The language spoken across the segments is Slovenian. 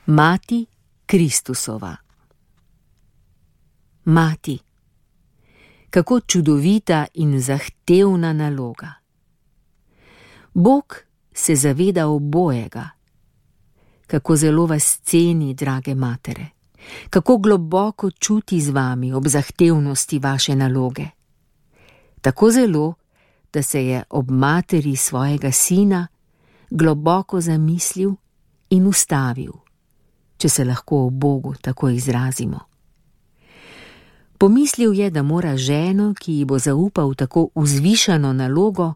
Mati Kristusova. Mati, kako čudovita in zahtevna naloga. Bog se zaveda obojega. Kako zelo vas ceni, drage matere, kako globoko čuti z vami ob zahtevnosti vaše naloge. Tako zelo, da se je ob materi svojega sina globoko zamislil in ustavil, če se lahko o Bogu tako izrazimo. Pomislil je, da mora ženo, ki ji bo zaupal tako vzvišano nalogo,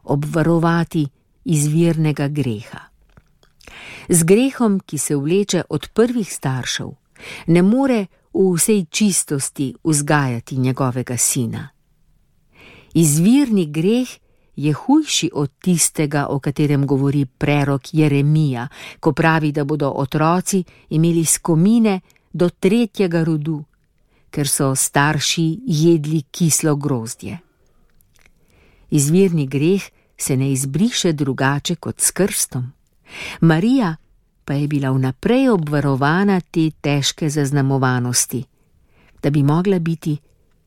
obvarovati izvirnega greha. Z grehom, ki se vleče od prvih staršev, ne more v vsej čistosti vzgajati njegovega sina. Izvirni greh je hujši od tistega, o katerem govori prerok Jeremija, ko pravi, da bodo otroci imeli skomine do 3. rodu, ker so starši jedli kislo grozdje. Izvirni greh se ne izbriše drugače kot s krstom. Marija pa je bila vnaprej obvarovana te težke zaznamovanosti, da bi mogla biti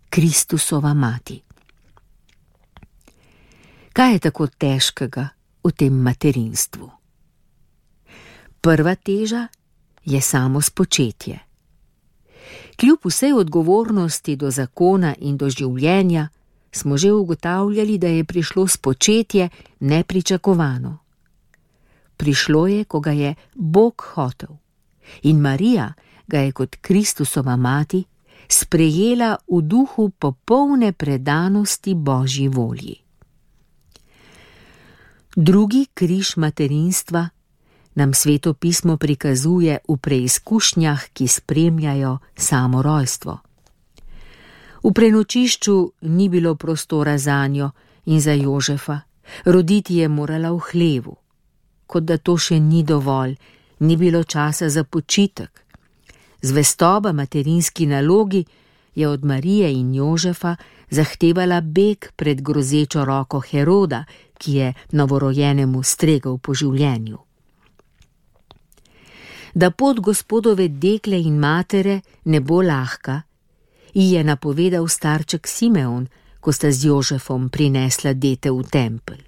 Kristusova mati. Kaj je tako težkega v tem materinstvu? Prva teža je samo spočetje. Kljub vsej odgovornosti do zakona in do življenja smo že ugotavljali, da je prišlo spočetje nepričakovano. Prišlo je, ko ga je Bog hotel, in Marija ga je kot Kristusova mati sprejela v duhu popolne predanosti Božji volji. Drugi križ materinstva nam Sveto pismo prikazuje v preizkušnjah, ki spremljajo samo rojstvo. V prenočišču ni bilo prostora zanjo in za Jožefa, roditi je morala v hlevu. Kot da to še ni dovolj, ni bilo časa za počitek. Zvestoba materinski nalogi je od Marije in Jožefa zahtevala beg pred grozečo roko Heroda, ki je novorojenemu stregel po življenju. Da pot Gospodove dekle in matere ne bo lahka, ji je napovedal starček Simeon, ko sta z Jožefom prinesla dete v tempelj.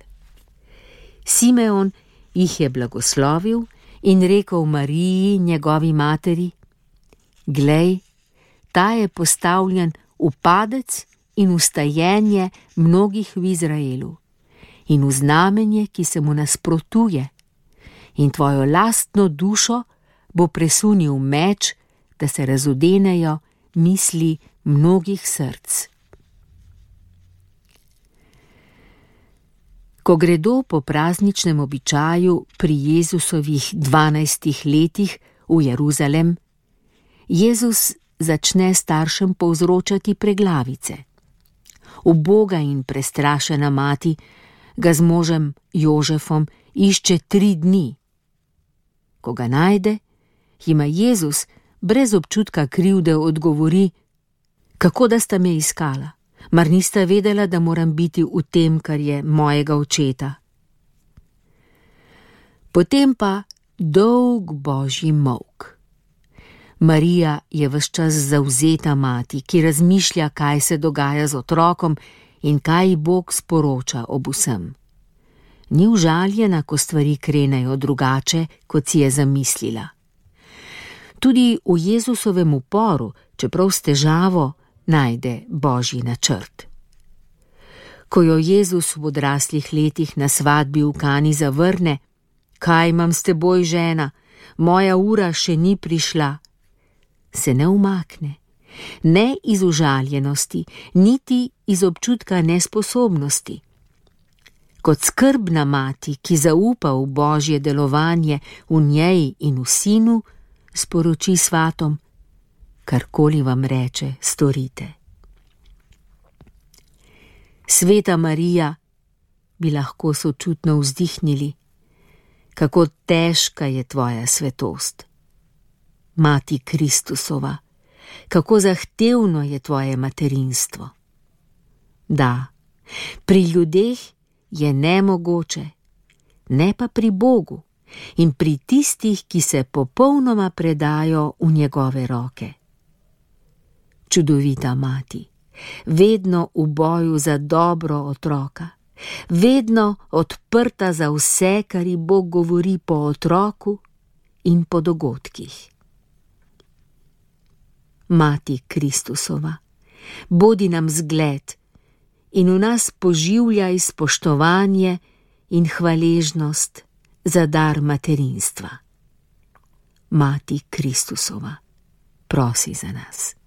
Simeon jih je blagoslovil in rekel Mariji, njegovi materi: Glej, ta je postavljen v padec in v stajenje mnogih v Izraelu in v znamenje, ki se mu nasprotuje, in tvojo lastno dušo bo presunil meč, da se razodenejo misli mnogih src. Ko gredo po prazničnem običaju pri Jezusovih 12 letih v Jeruzalem, Jezus začne staršem povzročati preglavice. Uboga in prestrašena mati ga z možem Jožefom išče 3 dni. Ko ga najde, jima Jezus brez občutka krivde odgovori: Kako da sta me iskala? Mar nista vedela, da moram biti v tem, kar je mojega očeta? Potem pa dolg Božji molk. Marija je ves čas zavzeta mati, ki razmišlja, kaj se dogaja z otrokom in kaj Bog sporoča ob vsem. Ni užaljena, ko stvari krenejo drugače, kot si je zamislila. Tudi v Jezusovem uporu, čeprav s težavo, najde Božji načrt. Ko jo Jezus v odraslih letih na svadbi v Kani zavrne: Kaj imam s teboj, žena, moja ura še ni prišla, se ne umakne, ne iz užaljenosti, niti iz občutka nesposobnosti. Kot skrbna mati, ki zaupa v Božje delovanje v njej in v sinu, sporoči svatom: Karkoli vam reče, storite. Sveta Marija, bi lahko sočutno vzdihnili, kako težka je tvoja svetost. Mati Kristusova, kako zahtevno je tvoje materinstvo. Da, pri ljudeh je nemogoče, ne pa pri Bogu, in pri tistih, ki se popolnoma predajo v njegove roke. Čudovita mati, vedno v boju za dobro otroka, vedno odprta za vse, kar ji Bog govori po otroku in po dogodkih. Mati Kristusova, bodi nam zgled in v nas poživljaj spoštovanje in hvaležnost za dar materinstva. Mati Kristusova, prosi za nas.